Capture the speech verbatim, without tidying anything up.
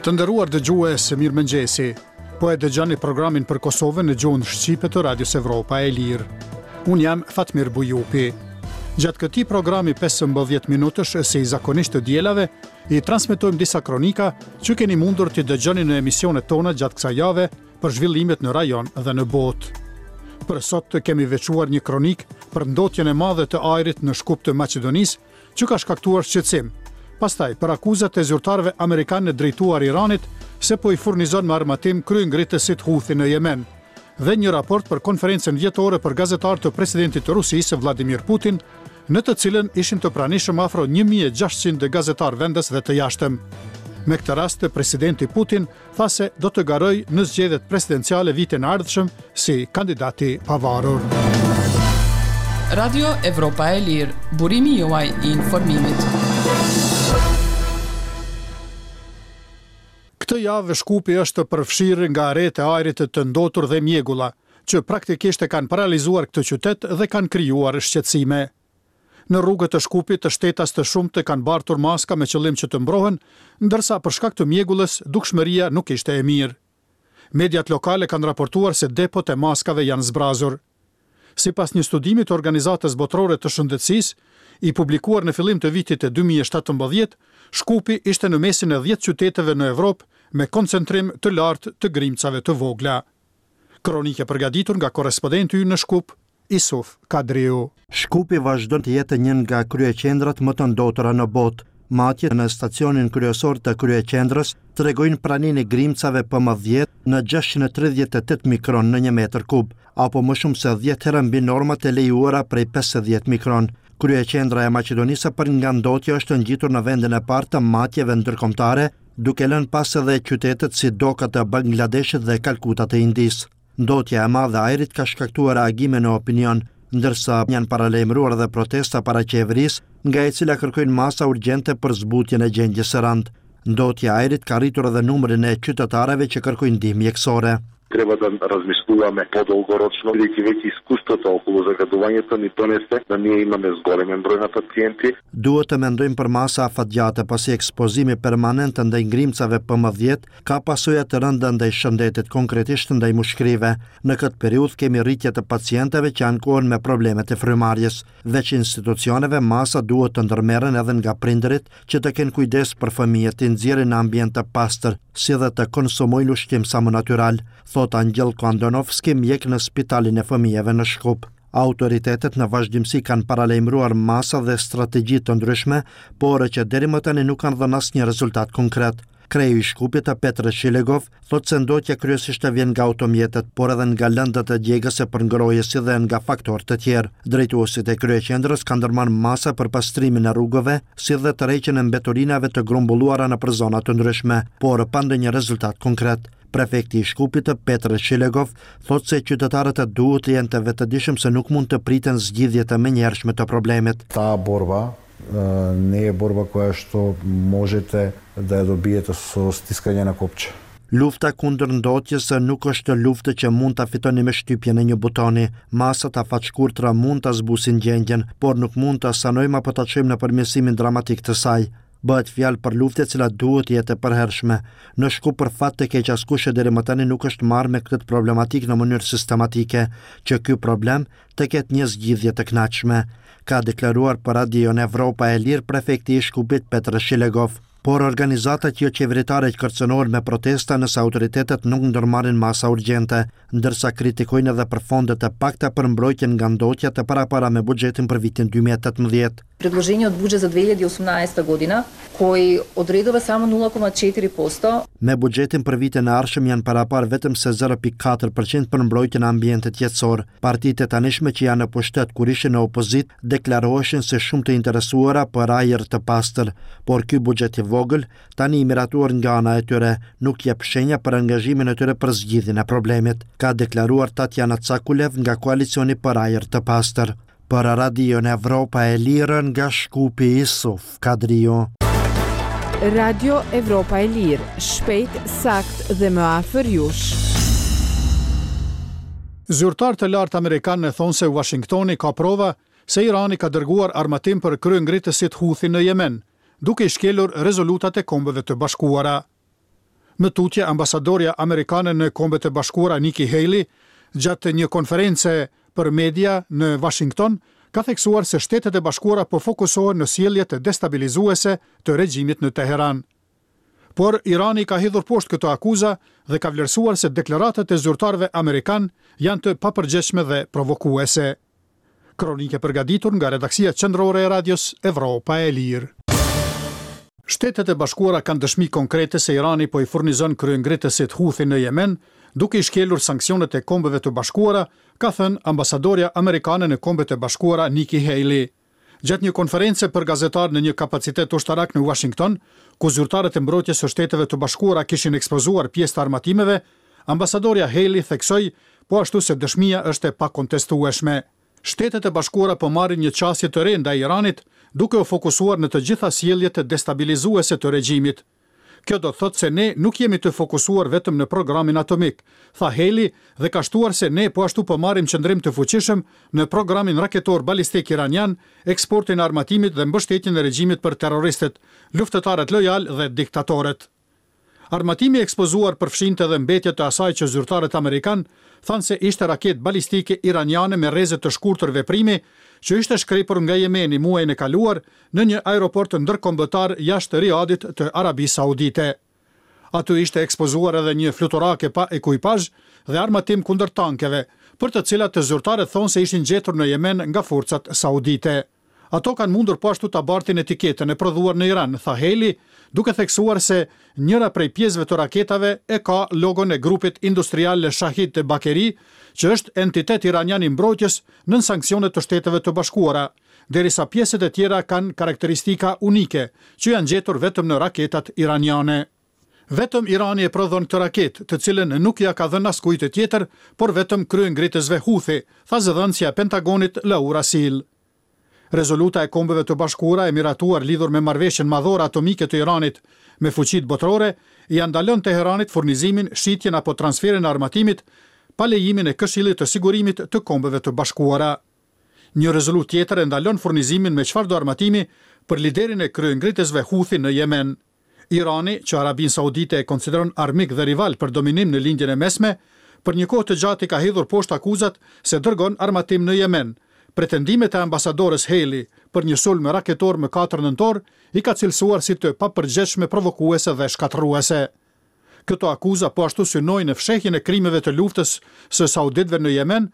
Të nderuar dëgjues, mirëmëngjesi. Po e dëgjoni programin për Kosovën në gjuhën shqipe të Radios Evropa e Lirë. Unë jam Fatmir Bujupi. Gjatë këtij programi pesëmbëdhjetë minutësh, si zakonisht të dielave, i transmetojmë disa kronika që keni mundur t'i dëgjoni në emisionet tona gjatë kësaj jave për zhvillimet në rajon dhe në botë. Për sot kemi veçuar një kronikë për ndotjen e madhe të ajrit në Shkup të Maqedonisë, që ka shkaktuar shqetësim. Pastaj, për akuzat e zyrtarëve amerikanë drejtuar Iranit se po i furnizon me armatim kryengritësit Houthi në Jemen, dhe një raport për konferencën vjetore për gazetarë të presidentit të Rusisë Vladimir Putin, në të cilën ishin të pranishëm afro një mijë e gjashtëqind gazetarë vendës dhe të jashtëm. Me këtë rast, presidenti Putin tha se do të garojë në zgjedhjet presidenciale vitin e ardhshëm si kandidat i pavarur. Radio Evropa e Lirë, burimi juaj i informimit. Këtë javë Shkupi është përfshirë nga retë e ajrit të ndotur dhe mjegulla, që praktikisht e kanë paralizuar këtë qytet dhe kanë krijuar shqetësime. Në rrugët e Shkupit të shtetas të shumtë kanë bartur maska me qëllim që të mbrohen, ndërsa për shkak të mjegullës dukshmëria nuk ishte e mirë. Mediat lokale kanë raportuar se depot e maskave janë zbrazur. Sipas një studimi të Organizatës Botërore të Shëndetësisë, i publikuar në fillim të vitit dy mijë e shtatëmbëdhjetë, Shkupi ishte në mesin e dhjetë qyteteve në Evropë me koncentrim të lartë të grimcave të vogla. Kronike përgatitur nga korrespondenti ynë në Shkup, Isuf Kadriu. Shkupi vazhdon të jetë një nga kryeqendrat më të ndotura në botë. Matjet në stacionin kryesor të kryeqendrës tregojnë praninë e grimcave P M dhjetë në gjashtëqind e tridhjetë e tetë mikron në një metër kub, apo më shumë se dhjetë herë mbi normat e lejuara prej pesëdhjetë mikron. Kryeqendra e Maqedonisë për nga ndotja është ngjitur në vendin e parë të matjeve ndërkombëtare, duke lënë pas edhe qytetet si Doka të Bangladeshit dhe Kalkuta të Indisë. Ndotja e madhe e ajrit ka shkaktuar reagime në opinion, ndërsa janë paralajmëruar edhe protesta para qeverisë, nga e cila kërkojnë masa urgjente për zbutjen e gjendjes së rëndë. Ndotja e ajrit ka rritur edhe numrin e qytetarëve që kërkojnë ndihmë mjekësore. Треба да размислуваме подолгорочно, бидејќи веќе искуството околу загадувањето ни донесе да ние имаме зголемен број на пациенти. Duhet të mendojmë për masa afatgjate, pasi ekspozimi permanent ndaj grimcave P M dhjetë ka pasoja të rënda ndaj shëndetit, konkretisht ndaj mushkërive. Në këtë periudhë kemi rritje të pacientëve që ankohen me problemet e frymëmarrjes. Veç institucioneve, masa duhet të ndërmerren edhe nga prindërit që të kenë kujdes për fëmijët, të nxjerrin në ambient të pastër, si dhe të konsumojnë ushqim sa më natyral, thot Angelko Andonovski, mjek në spitalin e fëmijëve në Shkup. Autoritetet në vazhdimësi kanë paralajmëruar masa dhe strategji të ndryshme, por që deri më tani nuk kanë dhënë asnjë rezultat konkret. Kreu i Shkupit, Petr Shilegov, thot se ndotja kryesisht vjen nga automjetet, por edhe nga lëndët e djegëse për ngrohje si dhe nga faktorë të tjerë. Drejtuesit e kryeqendrës kanë ndërmarrë masa për pastrimin e rrugëve, si dhe tërheqjen e mbeturinave të grumbulluara nëpër zona të ndryshme, por pa ndonjë rezultat konkret. Prefekti i Shkupit, Petr Shilegov, thot se qytetarët duhet të jenë të vetëdijshëm se nuk mund të priten zgjidhje të menjëhershme të problemit. Ta borba не е борба која што можете да ја добиете со стискање на копче. Lufta kundër ndotjes nuk është luftë që mund ta fitoni me shtypjen e një butoni. Masat afatshkurtra mund ta zbusin gjendjen, por nuk mund ta sanojmë apo ta çojmë në përmirësimin dramatik të saj. Bëhet fjalë për luftë e cila duhet të jetë e përhershme. Në Shkup për fat të keq askush e deri më tani nuk është marrë me këtë problematikë në mënyrë sistematike, që ky problem të ketë një zgjidhje të kënaqshme, ka deklaruar për Radion Evropa e Lirë prefekti i Shkupit Petr Shilegov. Por organizatat jo qeveritare që kërcënohen me protesta nëse autoritetet nuk ndërmarrin masa urgjente, ndërsa kritikojnë edhe për fondet e pakta për mbrojtjen nga ndotja të parapara me buxhetin për vitin dy mijë e tetëmbëdhjetë. Предложениот буџет за две илјади и осумнаесета година, кој одредува само нула кома четири посто. Me buxhetin për vitin e ardhshëm janë parapar vetëm se zero pikë katër përqind për mbrojtjen e ambientit jetësor. Partitë e tanishme që janë në pushtet kur ishin në opozitë deklaroheshin se shumë të interesuara për ajër të pastër, por ky buxhet i vogël, tani i miratuar nga ana e tyre, nuk jep shenja për angazhimin e tyre për zgjidhjen e problemit, ka deklaruar Tatjana Cakulev nga Koalicioni për Ajër të Pastër. Për Radion Evropa e Lirë nga Shkupi, Isuf Kadriu. Radio Evropa e Lirë, shpejt, sakt dhe më afër jush. Zyrtar të lartë amerikanë thonë se Washingtoni ka prova se Irani ka dërguar armatim për kryengritësit Houthi në Jemen, duke i shkelur rezolutat e Kombeve të Bashkuara. Më tutje, ambasadorja amerikane në Kombet e Bashkuara Nikki Haley, gjatë një konference për media në Washington, ka theksuar se Shtetet e Bashkuara po fokusohen në sjelljet destabilizuese të regjimit në Teheran. Por Irani ka hedhur poshtë këto akuza dhe ka vlerësuar se deklaratat e zyrtarëve amerikan janë të papërgjegjshme dhe provokuese. Kronikë e përgatitur nga redaksia qendrore e Radios Evropa e Lirë. Shtetet e Bashkuara kanë dëshmi konkrete se Irani po i furnizon kryengritësit Houthi në Jemen, duke i shkelur sanksionet e Kombeve të Bashkuara, ka thënë ambasadorja amerikane në Kombet e Bashkuara Nikki Haley. Gjatë një konference për gazetar në një kapacitet ushtarak në Washington, ku zyrtarët e mbrojtjes së Shteteve të Bashkuara kishin ekspozuar pjesë të armatimeve, ambasadorja Haley theksoi po ashtu se dëshmia është e pakontestueshme. Shtetet e Bashkuara po marrin një qasje të re ndaj Iranit, duke u fokusuar në të gjitha sjelljet destabilizuese të regjimit. Kjo do të thotë se ne nuk jemi të fokusuar vetëm në programin atomik, tha Haley dhe ka shtuar se ne po ashtu po marrim qëndrim të fuqishëm në programin raketor balistik iranian, eksportin e armatimit dhe mbështetjen e regjimit për terroristët, luftëtarët lojal dhe diktatorët. Armatimi i ekspozuar përfshinte edhe mbetje të asaj që zyrtarët amerikan thanë se ishte raketë balistike iraniane me rreze të shkurtër veprimi, që ishte shkrepur nga Jemeni muajin e kaluar në një aeroport ndërkombëtar jashtë Riadit të Arabisë Saudite. Aty ishte ekspozuar edhe një fluturake pa ekuipazh dhe armatim kundër tankeve, për të cilat të zyrtarët thonë se ishin gjetur në Jemen nga forcat saudite. Ato kanë mundur po ashtu ta bartin etiketën e prodhuar në Iran, tha Haley, duke theksuar se njëra prej pjesëve të raketave e ka logon e grupit industrial Shahid Bakeri, që është entitet iranian i mbrojtjes nën sanksionet të Shteteve të Bashkuara, derisa pjesët e tjera kanë karakteristika unike, që janë gjetur vetëm në raketat iraniane. Vetëm Irani e prodhon këtë raketë, të cilën nuk ja ka dhënë askujt të tjetër, por vetëm kryengritësve Houthi, tha zëdhënësja e Pentagonit Laura Seal. Rezoluta e Kombeve të Bashkuara e miratuar lidhur me marrëveshjen madhore atomike të Iranit me fuqitë botërore ia ndalon Teheranit furnizimin, shitjen apo transferin e armatimit pa lejimin e Këshillit të Sigurimit të Kombeve të Bashkuara. Një rezolutë tjetër e ndalon furnizimin me çfarëdo armatimi për liderin e kryengritësve Houthi në Jemen. Irani, që Arabinë Saudite e konsideron armik dhe rival për dominim në Lindjen e Mesme, për një kohë të gjatë i ka hedhur poshtë akuzat se dërgon armatim në Jemen. Pretendimet e ambasadores Haley për një sulm raketor më katër nëntor i ka cilësuar si të papërgjegjshme, provokuese dhe shkatërruese. Këto akuza po ashtu synojnë në fshehjen e krimeve të luftës së sauditëve në Jemen.